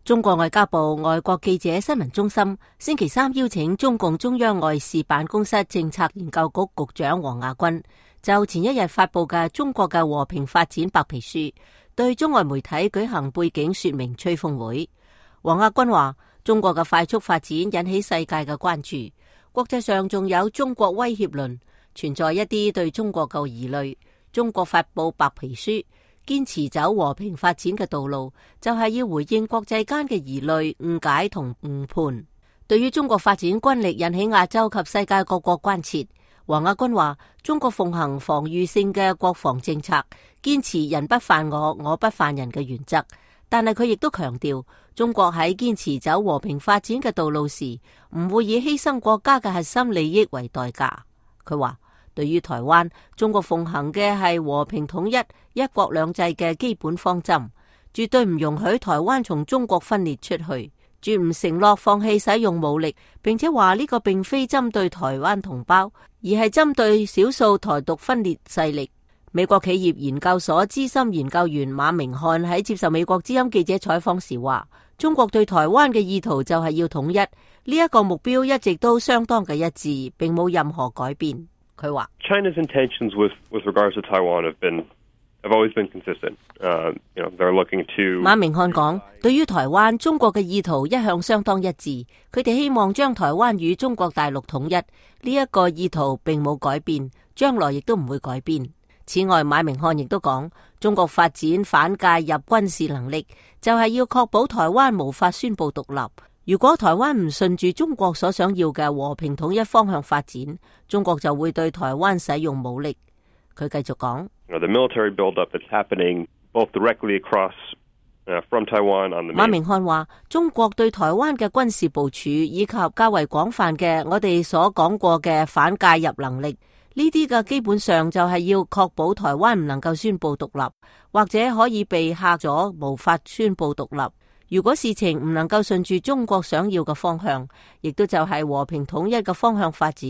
中國外交部外國記者新聞中心星期三邀請中共中央外事辦公室政策研究局局長王亞軍就前一日發布嘅中國嘅和平發展白皮書，對中外媒體舉行背景說明吹風會。王亞軍話：中國嘅快速發展引起世界嘅關注，國際上仲有中國威脅論，存在一啲對中國嘅疑慮。中國發布白皮書，堅持走和平發展嘅道路，就係要回應國際間嘅疑慮、誤解同誤判。對於中國發展軍力引起亞洲及世界各國關切，王亞軍話：中國奉行防禦性嘅國防政策，堅持人不犯我，我不犯人嘅原則。但係佢亦都強調，中國喺堅持走和平發展嘅道路時，唔會以犧牲國家嘅核心利益為代價。佢話：對於台灣，中國奉行嘅係和平統一、一國兩制嘅基本方針，絕對唔容許台灣從中國分裂出去，絕唔承諾放棄使用武力，並且話呢個並非針對台灣同胞，而係針對少數台獨分裂勢力。美國企業研究所資深研究員馬明漢喺接受美國之音記者採訪時話：中國對台灣嘅意圖就係要統一，呢一個目標一直都相當嘅一致，並冇任何改變。佢話 China's intentions with regards to Taiwan have always been consistent. They're looking to 馬明漢講，對於台灣，中國嘅意圖一向相當一致，佢哋希望將台灣與中國大陸統一，呢一個意圖並冇改變，將來亦都唔會改變。此外，馬明漢亦都講，中國發展反介入軍事能力，就係要確保台灣無法宣布獨立。如果台灣唔順住中國所想要嘅和平統一方向發展，中國就會對台灣使用武力。佢繼續講，The military buildup that's happening both directly across from Taiwan on the main。馬明漢話：中國對台灣嘅軍事部署以及較為廣泛嘅我哋所講過嘅反介入能力，呢啲嘅基本上就係要確保台灣唔能夠宣布獨立，或者可以被嚇咗無法宣布獨立。如果事情唔能夠順住中國想要嘅方向，亦都就係和平統一嘅方向發展，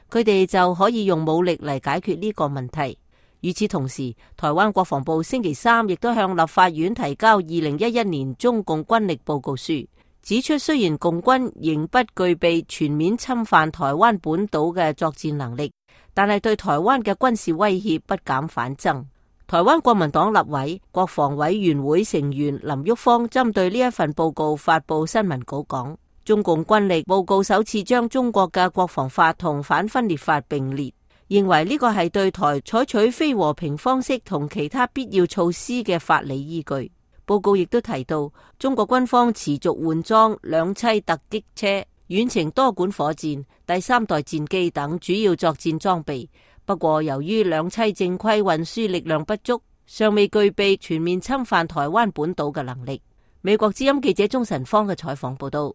佢哋就可以用武力嚟解決呢個問題。與此同時，台灣國防部星期三亦都向立法院提交2011年中共軍力報告書，指出雖然共軍仍不具備全面侵犯台灣本島嘅作戰能力，但係對台灣嘅軍事威脅不減反增。台灣國民黨立委、國防委員會成員林旭芳針對呢一份報告發布新聞稿講，中共軍力報告首次將中國嘅國防法同反分裂法並列，認為呢個係對台採取非和平方式同其他必要措施嘅法理依據。報告亦都提到，中國軍方持續換裝兩棲突擊車、遠程多管火箭、第3代戰機等主要作戰裝備。不過，由於兩棲正規運輸力量不足，尚未具備全面侵犯台灣本島嘅能力。美國之音記者鍾晨芳嘅採訪報道。